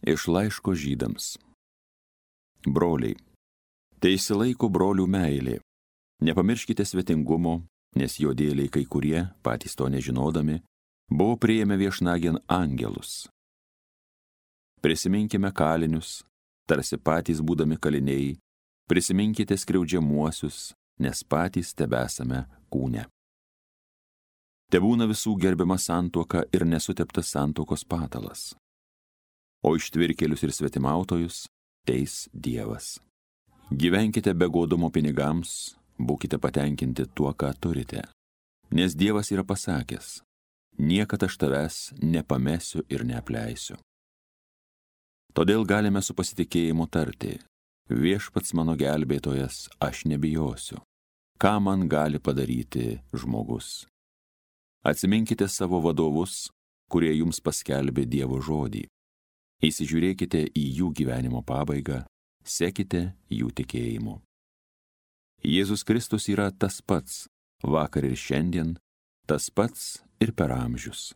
Iš laiško Žydams. Broliai, teisilaiko brolių meilė. Nepamirškite svetingumo, nes jo dėliai kai kurie, patys to nežinodami, buvo priėmę viešnagėn angelus. Prisiminkime kalinius, tarsi patys būdami kaliniai, prisiminkite skriaudžiamuosius, nes patys tebesame kūne. Tebūna visų gerbiama santuoka ir nesuteptas santuokos patalas. O ištvirkėlius ir svetimautojus teis Dievas. Gyvenkite be godumo pinigams, būkite patenkinti tuo, ką turite. Nes Dievas yra pasakęs, niekad aš tavęs nepamesiu ir neapleisiu. Todėl galime su pasitikėjimu tarti, viešpats mano gelbėtojas, aš nebijosiu. Ką man gali padaryti žmogus? Atsiminkite savo vadovus, kurie jums paskelbė Dievo žodį. Įsižiūrėkite į jų gyvenimo pabaigą, sekite jų tikėjimu. Jėzus Kristus yra tas pats, vakar ir šiandien, tas pats ir per amžius.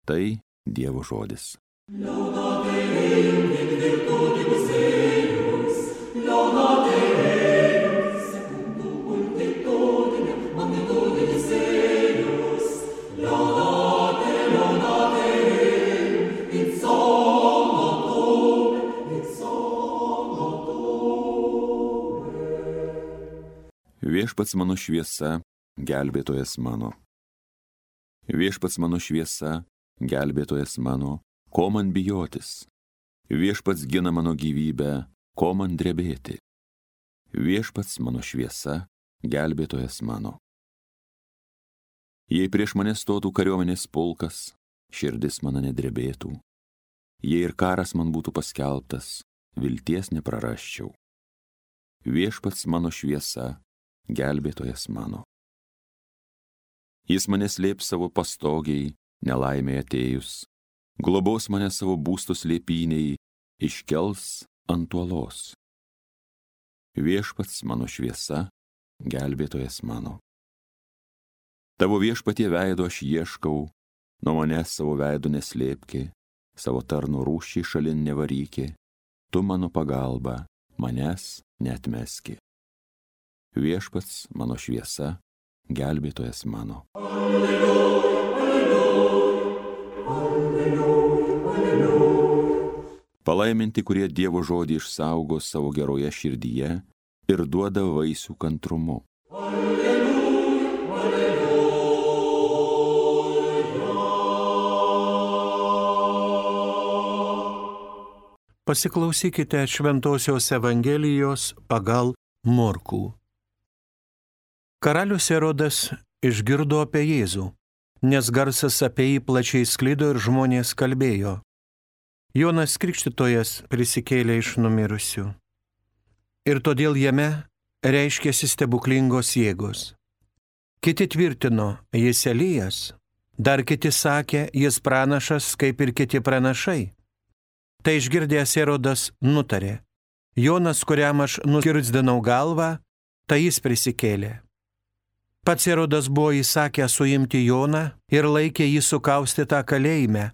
Tai Dievo žodis. Laudate Deum in virtutibus eius, laudate Deum secundum multitudinem magnitudinis eius, laudate Deum in Viešpats mano šviesa, gelbėtojas mano. Viešpats mano šviesa, gelbėtojas mano, ko man bijotis? Viešpats gina mano gyvybę, ko man drebėti? Viešpats mano šviesa, gelbėtojas mano. Jei prieš mane stotų kariuomenės pulkas, širdis mano nedrebėtų. Jei ir karas man būtų paskelbtas, vilties neprarasčiau. Viešpats mano šviesa, gelbėtojas mano. Jis mane slėps savo pastogiai, nelaimė atėjus, globos mane savo būsto slėpyniai, iškels ant uolos. Viešpats mano šviesa, gelbėtojas mano. Tavo viešpatie veido aš ieškau, nuo manęs savo veido neslėpki, savo tarno rūščiai šalin nevarykė, tu mano pagalba, manęs neatmeski. Viešpats mano šviesa, gelbėtojas mano. Alleluja, alleluja, alleluja, alleluja. Palaiminti, kurie Dievo žodį išsaugo savo geroje širdyje ir duoda vaisių kantrumu. Alleluja, alleluja. Pasiklausykite Šventosios Evangelijos pagal Morkų. Karalius Erodas išgirdo apie Jėzų, nes garsas apie jį plačiai sklido ir žmonės kalbėjo. Jonas Krikštytojas prisikėlė iš numirusių. Ir todėl jame reiškėsi stebuklingos jėgos. Kiti tvirtino, jis Elijas, dar kiti sakė, jis pranašas, kaip ir kiti pranašai. Tai išgirdęs Erodas nutarė, Jonas, kuriam aš nukirtsdinau galvą, tai jis prisikėlė. Pats Erodas buvo įsakęs suimti Joną ir laikė jį sukaustytą kalėjime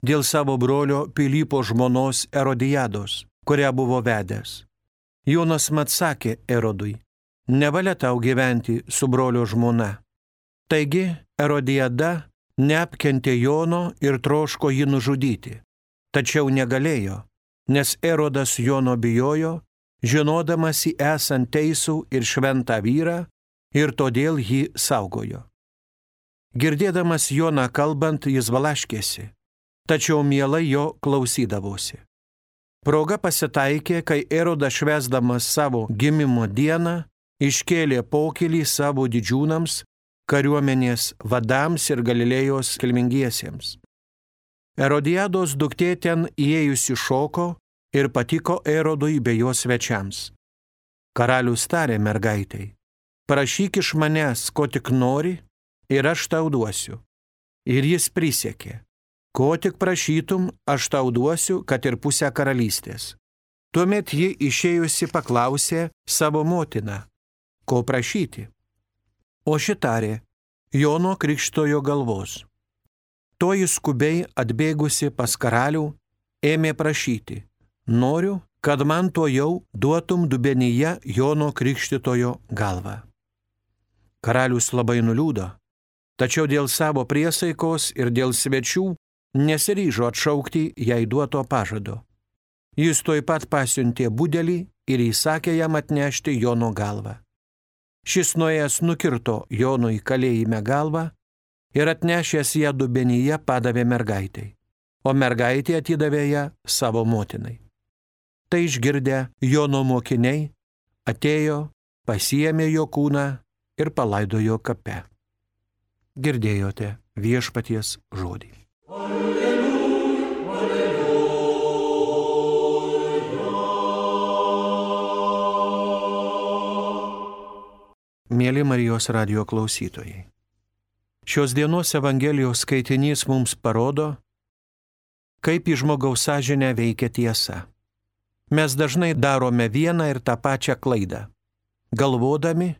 dėl savo brolio Pilypo žmonos Erodijados, kurią buvo vedęs. Jonas mat sakė Erodui, nevalia tau gyventi su brolio žmona. Taigi Erodijada neapkentė Jono ir troško jį nužudyti, tačiau negalėjo, nes Erodas Jono bijojo, žinodamas jį esant teisų ir šventą vyrą, ir todėl jį saugojo. Girdėdamas Joną kalbant, jis valaškėsi, tačiau mielai jo klausydavosi. Proga pasitaikė, kai Erodas švęsdamas savo gimimo dieną iškėlė pokylį savo didžiūnams, kariuomenės vadams ir Galilėjos kilmingiesiems. Erodijados duktė ten įėjusi šoko ir patiko Erodui bei jo svečiams. Karalius tarė mergaitei, prašyk iš manęs, ko tik nori, ir aš tau duosiu. Ir jis prisiekė, ko tik prašytum, aš tau duosiu, kad ir pusę karalystės. Tuomet ji išėjusi paklausė savo motiną, ko prašyti. O ši tarė, Jono Krikštytojo galvos. Toji skubiai atbėgusi pas karalių, ėmė prašyti: noriu, kad man tuojau duotum dubenyje Jono Krikštytojo galvą. Karalius labai nuliūdo, tačiau dėl savo priesaikos ir dėl svečių nesiryžo atšaukti jai duoto pažado. Jis tuoj pat pasiuntė budelį ir įsakė jam atnešti Jono galvą. Šis nuėjęs nukirto Jonui kalėjime galvą ir atnešęs ją dubenyje padavė mergaitei, o mergaitė atidavė ją savo motinai. Tai išgirdę Jono mokiniai atėjo, pasiėmė jo kūną ir palaidojo kape. Girdėjote viešpaties žodį. Mėly Marijos radijo klausytojai, šios dienos Evangelijos skaitinys mums parodo, kaip į žmogaus sąžinę veikia tiesa. Mes dažnai darome vieną ir tą pačią klaidą, galvodami,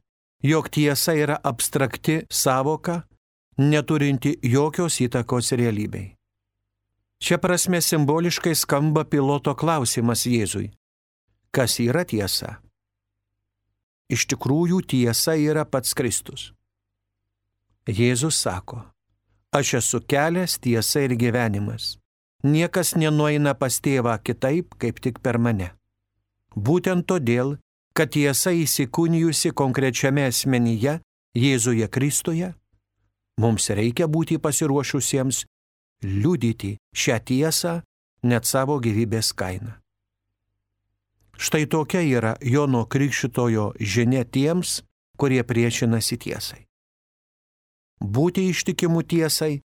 jog tiesa yra abstrakti sąvoka, neturinti jokios įtakos realybei. Šia prasme simboliškai skamba Piloto klausimas Jėzui: kas yra tiesa? Iš tikrųjų tiesa yra pats Kristus. Jėzus sako: aš esu kelias, tiesa ir gyvenimas. Niekas nenueina pas tėvą kitaip, kaip tik per mane. Būtent todėl, kad tiesa įsikūnijusi konkrečiame asmenyje, Jėzuje Kristuje, mums reikia būti pasiruošusiems liudyti šią tiesą net savo gyvybės kainą. Štai tokia yra Jono Krikštytojo žinia tiems, kurie priešinasi tiesai. Būti ištikimų tiesai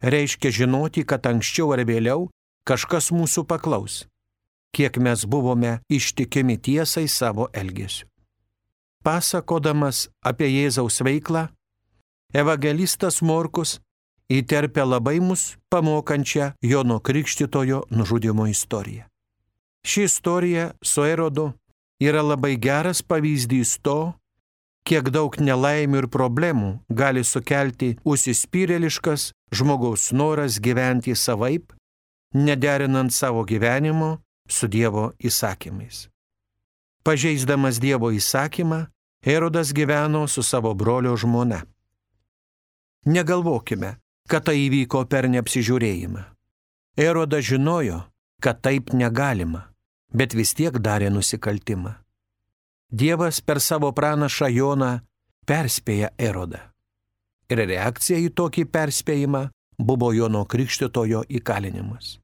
reiškia žinoti, kad anksčiau ar vėliau kažkas mūsų paklaus, kiek mes buvome ištikimi tiesai savo elgesiu. Pasakodamas apie Jėzaus veiklą, evangelistas Morkus įterpia labai mus pamokančią Jono Krikštytojo nužudymo istoriją. Ši istorija su Erodu yra labai geras pavyzdys to, kiek daug nelaimių ir problemų gali sukelti užsispyrėliškas žmogaus noras gyventi savaip, nederinant savo gyvenimo su Dievo įsakymais. Pažeisdamas Dievo įsakymą, Erodas gyveno su savo brolio žmona. Negalvokime, kad tai įvyko per neapsižiūrėjimą. Erodas žinojo, kad taip negalima, bet vis tiek darė nusikaltimą. Dievas per savo pranašą Joną perspėja Erodą. Ir reakcija į tokį perspėjimą buvo Jono Krikštytojo įkalinimas.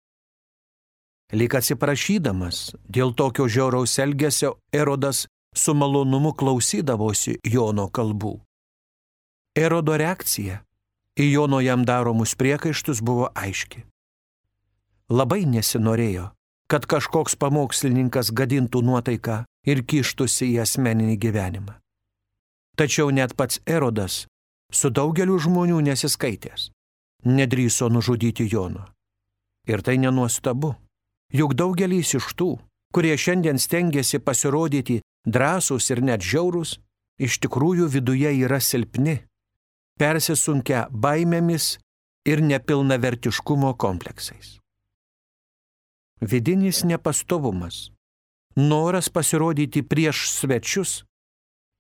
Lyg atsiprašydamas dėl tokio žiauraus elgesio, Erodas su malonumu klausydavosi Jono kalbų. Erodo reakcija į Jono jam daromus priekaištus buvo aiški. Labai nesinorėjo, kad kažkoks pamokslininkas gadintų nuotaiką ir kištųsi į asmeninį gyvenimą. Tačiau net pats Erodas, su daugeliu žmonių nesiskaitęs, nedrįso nužudyti Jono. Ir tai nenuostabu, juk daugelis iš tų, kurie šiandien stengiasi pasirodyti drąsūs ir net žiaurūs, iš tikrųjų viduje yra silpni, persisunkę baimėmis ir nepilnavertiškumo kompleksais. Vidinis nepastovumas, noras pasirodyti prieš svečius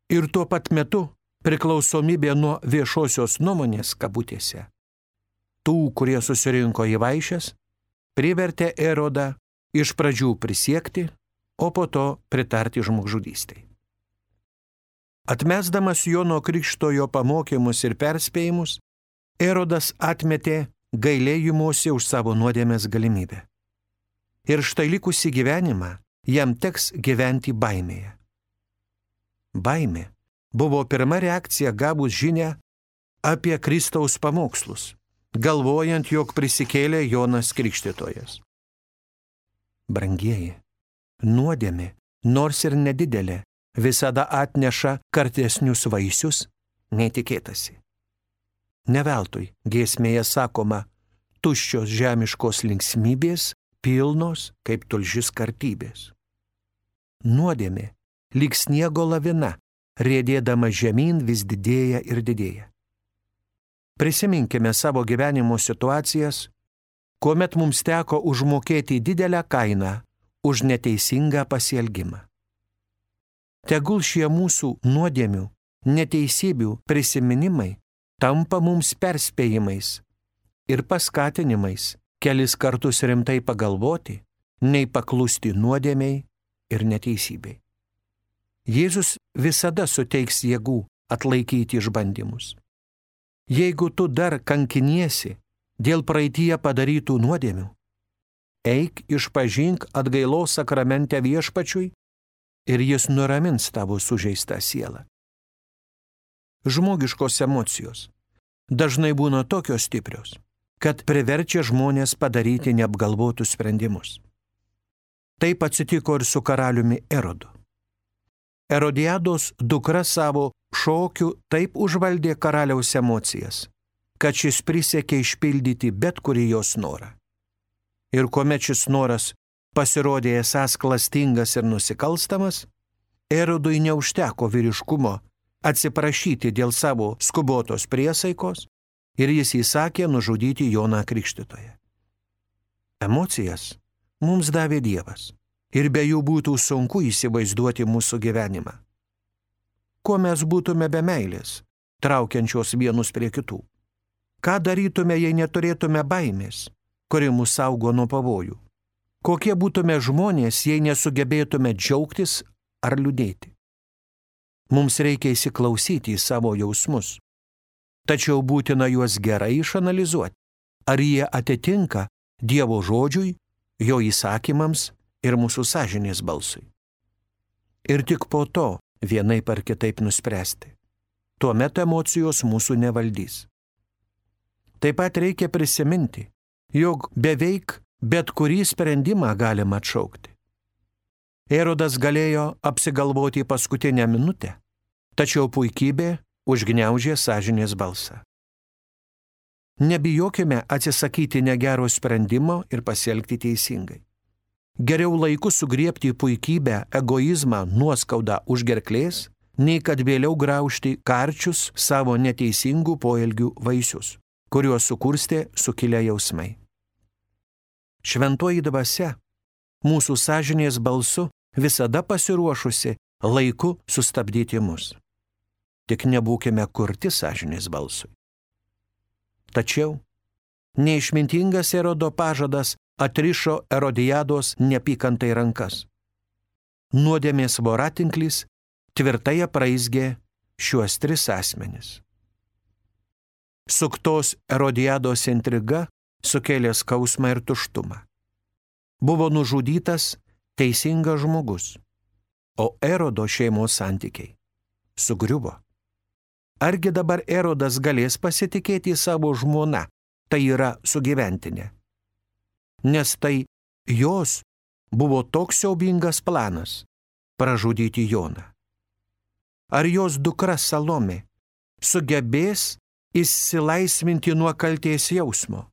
ir tuo pat metu priklausomybė nuo viešosios nuomonės kabutėse. Tų, kurie susirinko į vaišes, privertė Erodą iš pradžių prisiekti, o po to pritarti žmogžudystei. Atmesdamas Jono Krikštytojo pamokymus ir perspėjimus, Erodas atmetė gailėjimosi už savo nuodėmės galimybę. Ir štai likusį gyvenimą jam teks gyventi baimėje. Baimė buvo pirma reakcija gavus žinią apie Kristaus pamokslus, galvojant, jog prisikėlė Jonas Krikštytojas. Brangieji, nuodėmė, nors ir nedidelė, visada atneša kartesnius vaisius, netikėtasi. Ne veltui giesmėje sakoma, tuščios žemiškos linksmybės, pilnos kaip tulžis kartybės. Nuodėmė, lyg sniego lavina, riedėdama žemyn vis didėja ir didėja. Prisiminkime savo gyvenimo situacijas, kuomet mums teko užmokėti didelę kainą už neteisingą pasielgimą. Tegul šie mūsų nuodėmių, neteisybių prisiminimai tampa mums perspėjimais ir paskatinimais kelis kartus rimtai pagalvoti, nei paklusti nuodėmiai ir neteisybei. Jėzus visada suteiks jėgų atlaikyti išbandymus. Jeigu tu dar kankiniesi dėl praeityje padarytų nuodėmių, eik išpažink atgailos sakramente Viešpačiui ir jis nuramins tavo sužeistą sielą. Žmogiškos emocijos dažnai būna tokios stiprios, kad priverčia žmonės padaryti neapgalvotus sprendimus. Taip atsitiko ir su karaliumi Erodu. Erodiados dukra savo šokiu taip užvaldė karaliaus emocijas, kad šis prisiekė išpildyti bet kurį jos norą. Ir kuomet šis noras pasirodė esąs klastingas ir nusikalstamas, Erodui neužteko vyriškumo atsiprašyti dėl savo skubotos priesaikos ir jis įsakė nužudyti Joną Krikštytoją. Emocijas mums davė Dievas ir be jų būtų sunku įsivaizduoti mūsų gyvenimą. Kuo mes būtume be meilės, traukiančios vienus prie kitų? Ką darytume, jei neturėtume baimės, kuri mus saugo nuo pavojų? Kokie būtume žmonės, jei nesugebėtume džiaugtis ar liūdėti? Mums reikia įsiklausyti į savo jausmus, tačiau būtina juos gerai išanalizuoti, ar jie atitinka Dievo žodžiui, jo įsakymams ir mūsų sąžinės balsui. Ir tik po to vienaip ar kitaip nuspręsti. Tuomet emocijos mūsų nevaldys. Taip pat reikia prisiminti, jog beveik bet kurį sprendimą galima atšaukti. Erodas galėjo apsigalvoti paskutinę minutę, tačiau puikybė užgniaužė sąžinės balsą. Nebijokime atsisakyti negero sprendimo ir pasielgti teisingai. Geriau laiku sugriebti puikybę, egoizmą, nuoskaudą už gerklės, nei kad vėliau graužti karčius savo neteisingų poelgių vaisius, kuriuos sukurstė sukilę jausmai. Šventoji dvasia, mūsų sąžinės balsu, visada pasiruošusi laiku sustabdyti mus. Tik nebūkime kurti sąžinės balsui. Tačiau neišmintingas Erodo pažadas atrišo Erodiados neapykantai rankas. Nuodėmės voratinklis tvirtai apraizgė šiuos 3 asmenis. Suktos Erodiados intriga sukėlė skausmą ir tuštumą. Buvo nužudytas teisingas žmogus, o Erodo šeimos santykiai sugriuvo. Argi dabar Erodas galės pasitikėti savo žmona, tai yra sugyventinė? Nes tai jos buvo toks siaubingas planas – pražudyti Joną. Ar jos dukra Salomė sugebės išsilaisvinti nuo kaltės jausmo?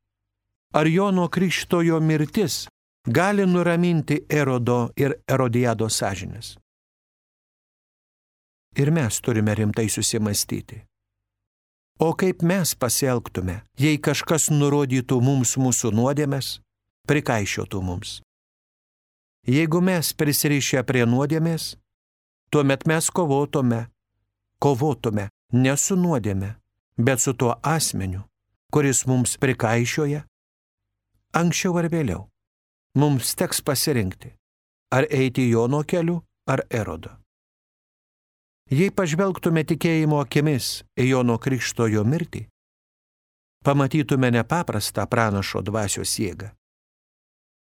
Ar Jono Krikštytojo mirtis gali nuraminti Erodo ir Erodiados sąžinės? Ir mes turime rimtai susimastyti. O kaip mes pasielgtume, jei kažkas nurodytų mums mūsų nuodėmes, prikaišiotų mums? Jeigu mes prisirišę prie nuodėmės, tuomet mes kovotume ne su nuodėme, bet su tuo asmeniu, kuris mums prikaišioja. Anksčiau ar vėliau mums teks pasirinkti, ar eiti Jono keliu, ar Erodo. Jei pažvelgtume tikėjimo akimis į Jono Krikštytojo mirtį, pamatytume nepaprastą pranašo dvasios jėgą.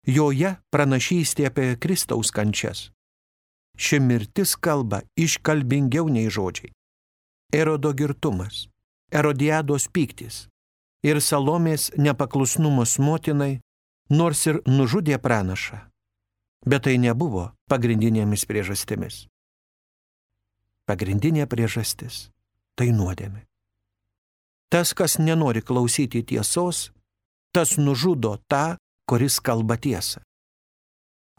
Joje pranašystė apie Kristaus kančias. Ši mirtis kalba iškalbingiau nei žodžiai. Erodo girtumas, Erodiados pyktis ir Salomės nepaklusnumas motinai, nors ir nužudė pranašą, bet tai nebuvo pagrindinėmis priežastimis. Pagrindinė priežastis – tai nuodėmė. Tas, kas nenori klausyti tiesos, tas nužudo tą, kuris kalba tiesą.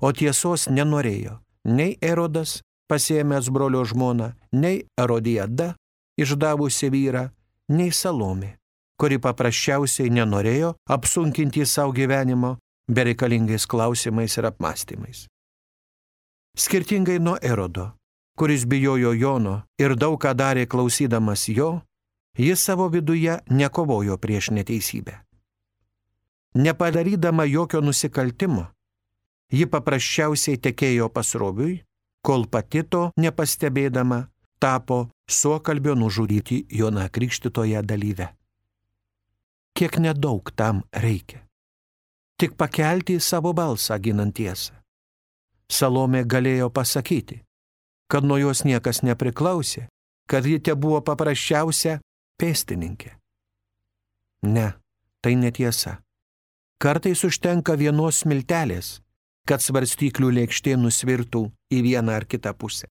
O tiesos nenorėjo nei Erodas, pasiėmęs brolio žmoną, nei Erodiada, išdavusi vyrą, nei Salomė, kuri paprasčiausiai nenorėjo apsunkinti savo gyvenimo bereikalingais klausimais ir apmąstymais. Skirtingai nuo Erodo, kuris bijojo Jono ir daug ką darė klausydamas jo, jis savo viduje nekovojo prieš neteisybę. Nepadarydama jokio nusikaltimo, ji paprasčiausiai tekėjo pasroviui, kol pati to nepastebėdama tapo suokalbio nužudyti Joną Krikštytoją dalyve. Kiek nedaug tam reikia. Tik pakelti savo balsą ginant tiesą. Salomė galėjo pasakyti, kad nuo jos niekas nepriklausė, kad ji tebuvo paprasčiausia pėstininkė. Ne, tai netiesa. Kartais užtenka vienos smiltelės, kad svarstyklių lėkštė nusvirtų į vieną ar kitą pusę.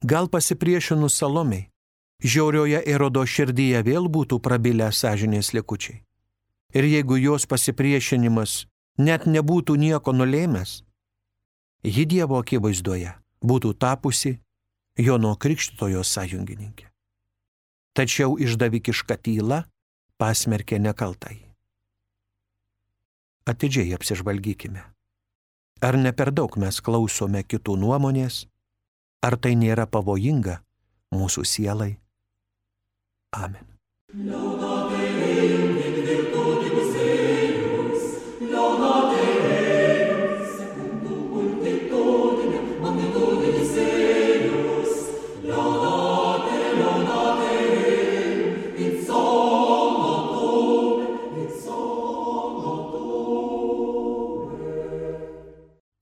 Gal pasipriešinus Salomei, žiaurioje Erodo širdyje vėl būtų prabilę sąžinės likučiai. Ir jeigu jos pasipriešinimas net nebūtų nieko nulėmęs, ji Dievo akivaizdoje būtų tapusi Jono Krikštytojo sąjungininkė. Tačiau išdavikiška tyla pasmerkė nekaltąjį. Atidžiai apsižvalgykime. Ar ne per daug mes klausome kitų nuomonės, ar tai nėra pavojinga mūsų sielai? Amen.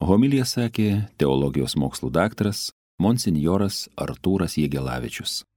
Homiliją sakė teologijos mokslų daktaras monsinjoras Artūras Jegelavičius.